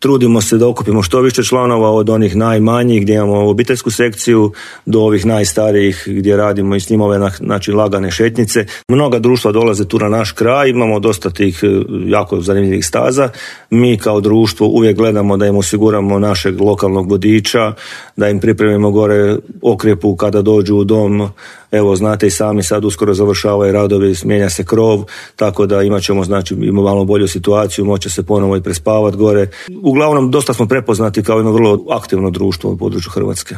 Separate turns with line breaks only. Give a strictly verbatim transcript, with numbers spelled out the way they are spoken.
trudimo se da okupimo što više članova, od onih najmanjih gdje imamo obiteljsku sekciju do ovih najstarijih gdje radimo i s njima ove znači, lagane šetnice. Mnoga društva dolaze tu na naš kraj, imamo dosta tih jako zanimljivih staza. Mi kao društvo uvijek gledamo da im osiguramo našeg lokalnog vodiča, da im pripremimo gore okrepu kada dođu u dom. Evo, znate i sami, sad uskoro završavaju radovi, mijenja se krov, tako da imat ćemo, znači, imamo malo bolju situaciju, moće se ponovo i prespavati gore. Uglavnom, dosta smo prepoznati kao jedno vrlo aktivno društvo u području Hrvatske.